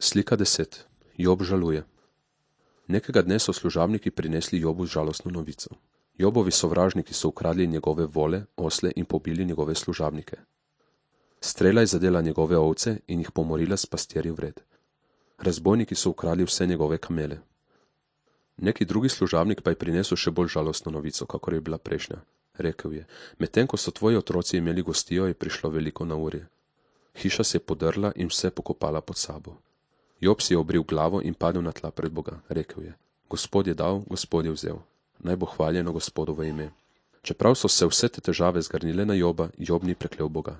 Slika 10. Job žaluje. Nekega dne so služabniki prinesli Jobu žalostno novico. Jobovi sovražniki so ukradli njegove vole, osle in pobili njegove služabnike. Strela je zadela njegove ovce in jih pomorila s pastirji vred. Razbojniki so ukradli vse njegove kamele. Neki drugi služabnik pa je prinesel še bolj žalostno novico, kakor je bila prejšnja. Rekel je: medtem ko so tvoji otroci imeli gostijo, je prišlo veliko neurje. Hiša se je podrla in vse pokopala pod sabo. Job si je obril glavo in padel na tla pred Boga. Rekel je: Gospod je dal, Gospod je vzel. Naj bo hvaljeno Gospodovo ime. Čeprav so se vse te težave zgrnile na Joba, Job ni preklel Boga.